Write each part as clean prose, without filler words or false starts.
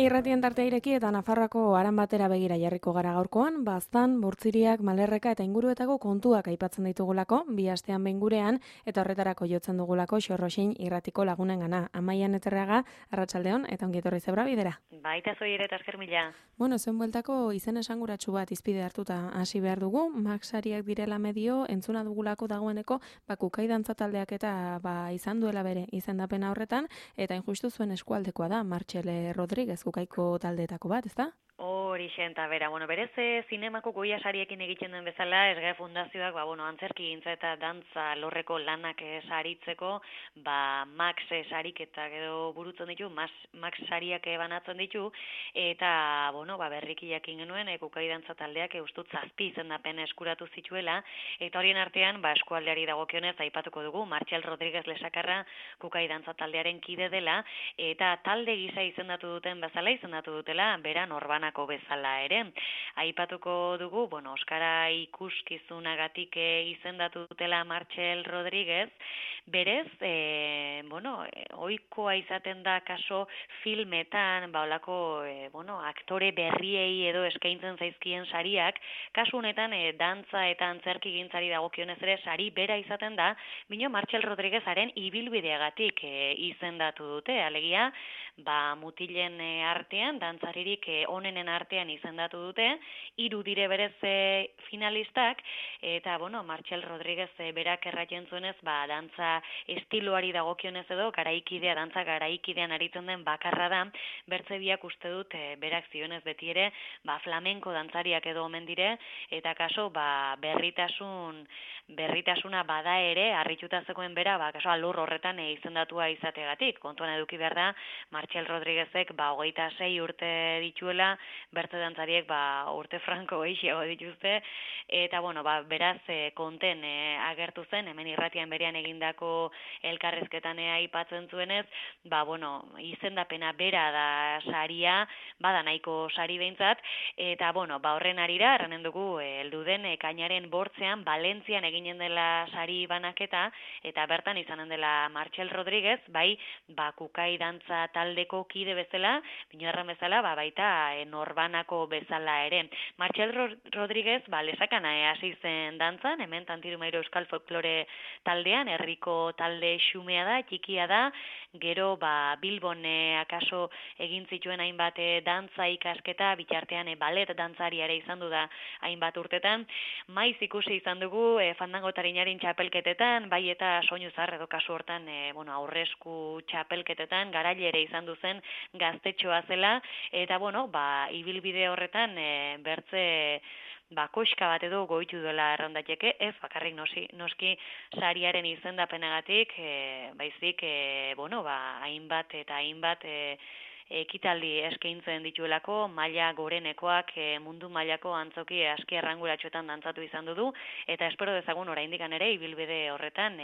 Irratien tartea ireki eta Nafarroako aran batera begira jarriko gara gaurkoan, baztan, burtziriak, malerreka eta inguruetako kontuak aipatzen ditugulako, bi astean behin gurean, eta horretarako jotzen dugulako Xorroxin irratiko lagunengana. Amaian Eterreaga, arratsaldeon eta ongi etorri zebra bidera. Baita zoi ere eta esker mila. Bueno, zuen bueltako izen esanguratsu bat izpide hartuta hasi behar dugu, Maxariak direla medio, entzuna dugulako dagoeneko, kukai dantza taldeak eta izan duela bere izendapena horretan, eta injustu zuen eskualdekoa da, Martxel Rodríguez kukaiko taldeetako bat, ezta? Hori xenta, bera, berez zinemako goia sariekin egiten den bezala, SGE Fundazioak, antzerki gintza eta dantza lorreko lanak saritzeko, Max sariketak edo burutzen ditu, Max sariak banatzen ditu, eta, berriki jakin genuen, kukai dantza taldeak ustut 7 izendapen eskuratu zituela, eta horien artean, eskualdeari dagokionez aipatuko dugu, Martxel Rodríguez Lesakarra kukai dantza taldearen kide dela, eta talde gisa izendatu dutela, bera Norbanako bezala ere. Aipatuko dugu, Oskara ikuskizunagatik izendatu dutela Martxel Rodríguez, berez, ohikoa izaten da kaso filmetan, olako, aktore berriei edo eskaintzen zaizkien sariak, kasu honetan dantza eta antzerki gintzari dagokionez ere sari bera izaten da, bino Martxel Rodríguezaren ibilbideagatik izendatu dute, alegia, mutilen artean, dantzaririk onenen artean izendatu dute, 3 dire berez finalistak, eta, Martxel Rodríguez berak erratzen zuenez, dantza estiloari dagokionez edo, dantza garaikidean aritzen den bakarra da, bertze biak uste dut berak zionez beti ere, flamenko dantzariak edo omen dire, eta kaso, berritasuna bada ere, harrituta zegoen bera, kaso alur horretan izendatua izategatik. Kontuan eduki behar da, Martxel Rodríguezek 26 urte dituela, bertze dantzariek urte franko gehiago dituzte, eta beraz konten agertu zen, hemen irratian berean egindako elkarrezketan aipatzen zuenez, izendapena bera da saria, bada nahiko sari behintzat, eta horren arira, erranen dugu, heldu den ekainaren 8ean, Valentzian eginen dela sari banaketa, eta bertan izanen dela Martxel Rodríguez, kukai dantza taldeko kide bezala, binoarran bezala, baita Norbanako bezala ere. Martxel Rodríguez, lesakana hasi zen dantzan, hemen Tantirumairo Euskal Folklore taldean, herriko talde xumea da, txikia da, gero Bilbon akaso egin zituen hainbat dantza ikasketa, bitartean balet dantzari ere izan du da hainbat urtetan, maiz ikusi izan dugu fandango tarinaren txapelketetan, bai eta soinu zar edo kasu hortan aurresku txapelketetan, garaile ere izan duzen gaztetxoa zela, eta ibilbide horretan bertze koxka bat edo goitu duela errandateke, ez bakarrik noski sariaren izendapenagatik, baizik, hainbat eta hainbat ekitaldi eskaintzen dituelako, maila gorenekoak mundu mailako antzoki aski arranguratsuetan dantzatu izan du, eta espero dezagun oraindikan ere ibilbide horretan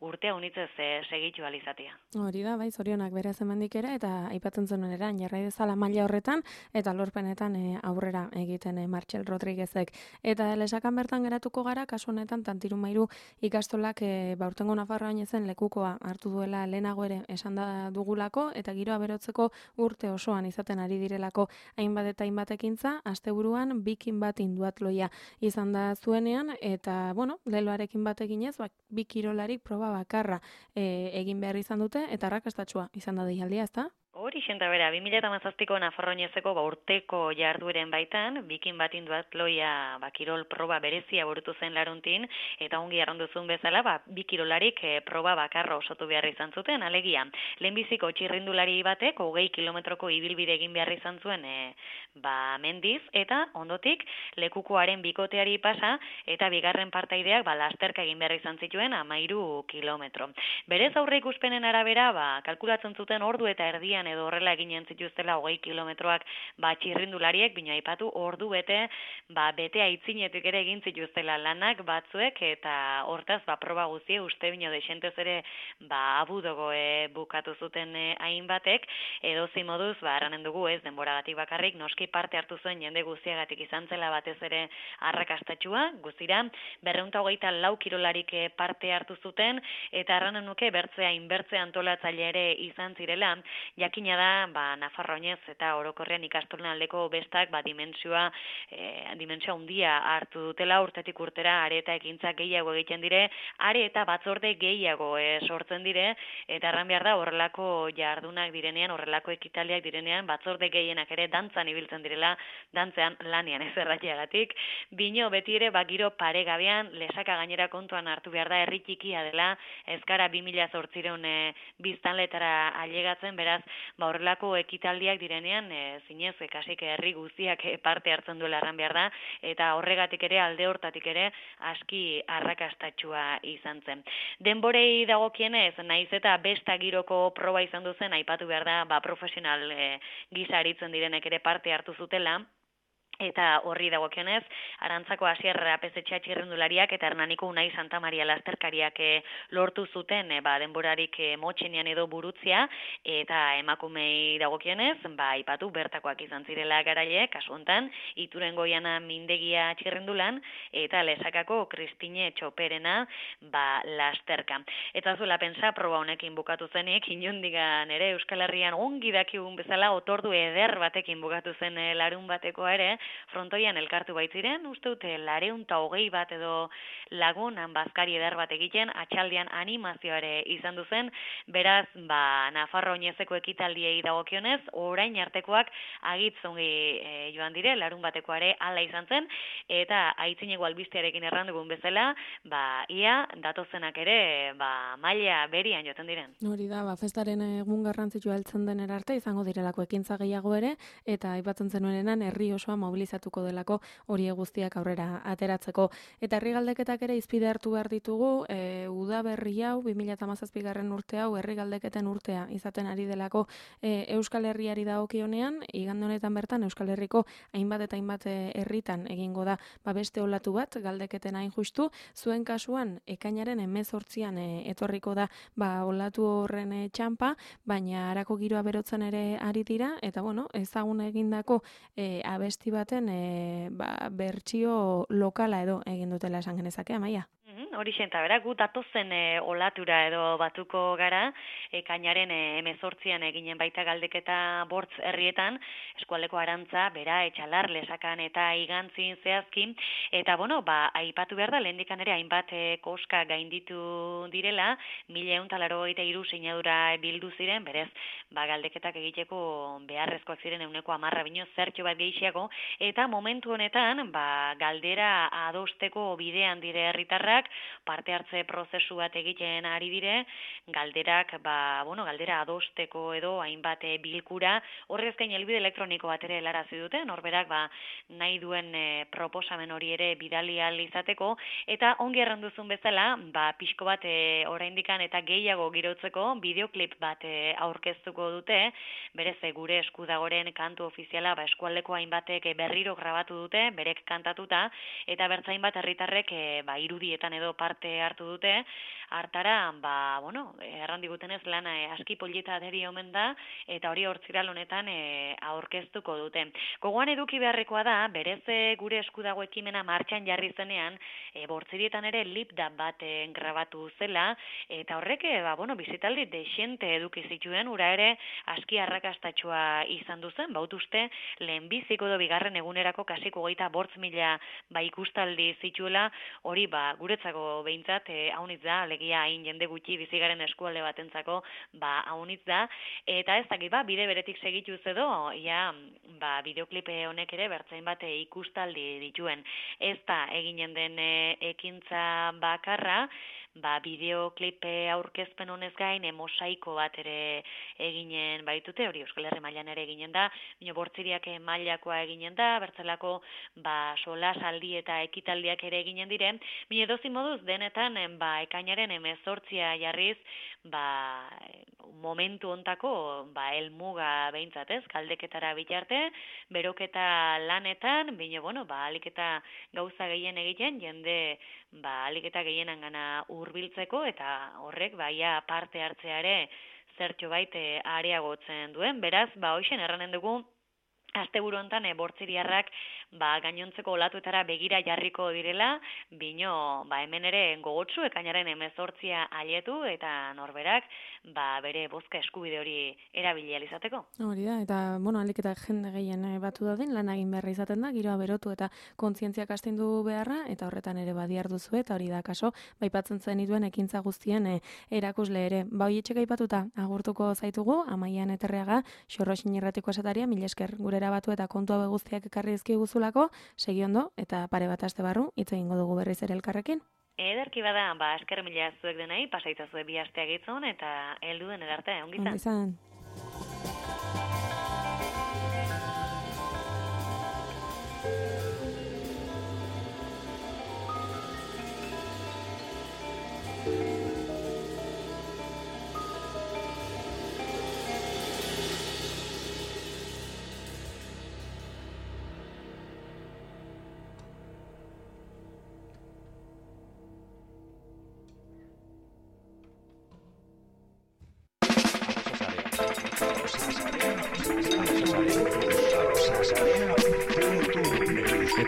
urtea unitzez segitu alizatea. Hori da, zorionak beraz hemendik ere, eta aipatzen zenuen eran, jarrai dezala maila horretan, eta lorpenetan aurrera egiten Martxel Rodríguezek. Eta lesakan bertan geratuko gara, kasu honetan Tantirumairu ikastolak urtengo Nafarroan ezen lekukoa hartu duela lehenago ere esan da dugulako, eta giroa berotzeko urte osoan izaten ari direlako hainbat eta hainbat ekintza, asteburuan bikin bat induatloia izan da zuenean, eta, leloarekin bat eginez, bi kirolarik proba bakarra egin behar izan dute, eta arrakastatsua izan da deialdia, ezta? Hori xenta bera, 2017ko Nafarroinezeko urteko jardueren baitan, bikin bat induatloia kirol proba berezia burutu zen laruntin, eta ongi arronduzun bezala, bi kirolarik proba bakarra osatu behar izan zuten, alegia. Lehenbiziko txirrindulari batek, 20 kilometroko ibilbide egin behar izan zuen mendiz, eta ondotik lekukoaren bikoteari pasa, eta bigarren partaideak lasterka egin behar izan zituen 13 kilometro. Berez aurre ikuspenen arabera, kalkulatzen zuten ordu eta erdian edo horrela eginen zituztela 20 kilometroak txirrindulariek, bino aipatu ordu bete aitzinetik ere egin zituztela lanak batzuek, eta hortaz proba guztie uste bino desentez ere abudogo bukatu zuten hainbatek, edo zimoduz, erranen dugu ez denboragatik bakarrik, noski parte hartu zuen jende guztiagatik izan zela batez ere arrakastatxua, guztira 224 kirolarik parte hartu zuten, eta erranen nuke bertzea inbertzea antolatzaile ere izan zirela, jakin jakina da, Nafarroa oinez eta orokorrean ikastolen aldeko bestak dimentsioa handia hartu dutela urtetik urtera are eta ekintza gehiago egiten dire, are eta batzorde gehiago sortzen dire, eta erran behar da horrelako jardunak direnean, horrelako ekitaldiak direnean, batzorde gehienak ere dantzan ibiltzen direla, dantzean lanian ez erratiagatik. Bino beti ere giro paregabean, lesaka gainera kontuan hartu behar da herri txikia dela, ez gara 2008 biztanletara ailegatzen, beraz, horrelako ekitaldiak direnean, zinez, kasik herri guztiak parte hartzen duela erran behar da, eta horregatik ere, alde hortatik ere, aski arrakastatxua izan zen. Denborei dagokienez, naiz eta besta giroko proba izan duzen, aipatu behar da, profesional gisa aritzen direnek ere parte hartu zutela, eta horri dagokionez, Arantzako Asier Apezetxea txirrendulariak eta Hernaniko Unai Santa Maria lasterkariak lortu zuten denborarik motxenean edo burutzia, eta emakumei dagokionez, aipatu bertakoak izan zirela garaile, kasu hontan, Iturengo Jana Mindegia txirrendulan, eta Lesakako Kristine Txoperena lasterka. Eta zuela pensa, proba honekin bukatu zenik, inundigan ere Euskal Herrian ongi dakigun bezala, otordu eder batekin bukatu zen larun batekoa ere, frontoian elkartu baitziren, uste dute 220 bat edo lagunan bazkari eder bat egiten, atxaldean animazioare izan duzen, beraz, Nafarro oinezeko ekitaldiei dagokionez, orain artekoak agitzongi joan dire, larun batekoare hala izan zen, eta aitzineko albistearekin errandugun bezala, ia datozenak ere, maila berian joten diren. Hori da, festaren egun garrantzitsua heltzen den arte izango direlako ekintza gehiago ere, eta aipatzen zenuenenan herri osoa mobilizatuko delako hori guztiak aurrera ateratzeko. Eta herri galdeketak ere izpide hartu behar ditugu, udaberri hau, 2017 urte hau, herri galdeketen urtea izaten ari delako Euskal Herriari dagokionean, igande honetan bertan Euskal Herriko hainbat eta hainbat herritan egingo da beste olatu bat, galdeketen hain justu, zuen kasuan ekainaren 18an etorriko da olatu horren txanpa, baina harako giroa berotzen ere ari dira, eta ezagun egindako abesti baten bertsio lokala edo egin dutela esan genezake, Amaia. Hori xenta, bera, gu datozen olatura edo batuko gara, ekainaren 18an eginen baita galdeketa bortz herrietan, eskualdeko Arantza, bera, Etxalar, Lesakan eta Igantzin zehazkin, eta aipatu behar da, lehendikan ere hainbat koska gainditu direla, 1183 sinadura bildu ziren, berez, galdeketak egiteko beharrezkoak ziren 110 bino zertxo bat gehiago, eta momentu honetan, galdera adosteko bidean dire herritarrak, parte hartze prozesu bat egiten ari dire, galderak, galdera adosteko edo hainbat bilkura, horrez gain helbide elektroniko bat ere helarazi dute, norberak nahi duen proposamen hori ere bidali ahal izateko, eta ongi erranduzun bezala, pixko bat oraindikan eta gehiago girotzeko bideoklip bat aurkeztuko dute, berez gure eskudagoren kantu ofiziala eskualdeko hainbatek berriro grabatu dute, berek kantatuta, eta bertzain bat herritarrek irudietan edo parte hartu dute, hartara, errandigutenez lan aski polita aderi omen da, eta hori hortziral honetan aurkeztuko dute. Gogoan eduki beharrekoa da, berez gure eskudago ekimena martxan jarri zenean, bortzirietan ere lipda bat grabatu zela, eta horrek, bizitaldi desente eduki zituen, ura ere aski arrakastatxua izan duzen, bautuzte, lehenbiziko edo bigarren egunerako kasiko 25.000 ikustaldi zituela, hori guretzako behintzat haunitz da, alegia hain jende gutxi bizigaren eskualde batentzako haunitz da, eta ez dakit bide beretik segituz edo, bideoklipe honek ere bertzain bat ikustaldi dituen. Ez da eginen den ekintza bakarra, bideoklipe aurkezpen honez gain mosaiko bat ere eginen baitute, hori Euskal Herri mailan ere eginen da, bortziriak mailakoa eginen da, bertzelako solas aldi eta ekitaldiak ere eginen diren, edozi moduz denetan ekainaren 18a jarriz momentu hontako helmuga behintzat ez, galdeketara bitarte, beroketa lanetan, alik eta gauza gehien egiten, jende alik eta gehienan gana hurbiltzeko eta horrek parte hartzeare zertxo bait areagotzen duen. Beraz, hoixen erranen dugu, asteburu hontan bortziriarrak gainontzeko olatuetara begira jarriko direla, bino hemen ere gogotsu ekainaren 18 aietu eta norberak bere bozka eskubide hori erabili ahal izateko. Hori da, eta ahalik eta jende gehien batu dadin, lan egin beharra izaten da, giroa berotu eta kontzientziak astindu beharra, eta horretan ere badiar duzu, eta hori da kaso, baipatzen zenituen ekintza guztien erakusle ere. Hoietxek aipatuta agurtuko zaitugu, Amaian Eterreaga, Xorroxin Irratiko esataria, mil esker gurera batu eta kontu hau guztiak ekarri dizkiguzulako, segi ondo eta pare bat aste barru hitz egingo dugu berriz ere elkarrekin. Ederki bada, esker mila zuek denei, pasaitzazue bi astea gitzon eta heldu den edarte, ongi izan.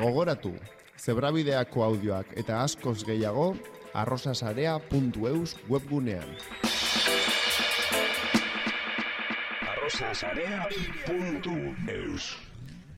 Gogoratu, Zebrabideako audioak eta askoz gehiago arrosasarea.eus webgunean. arrosasarea.eus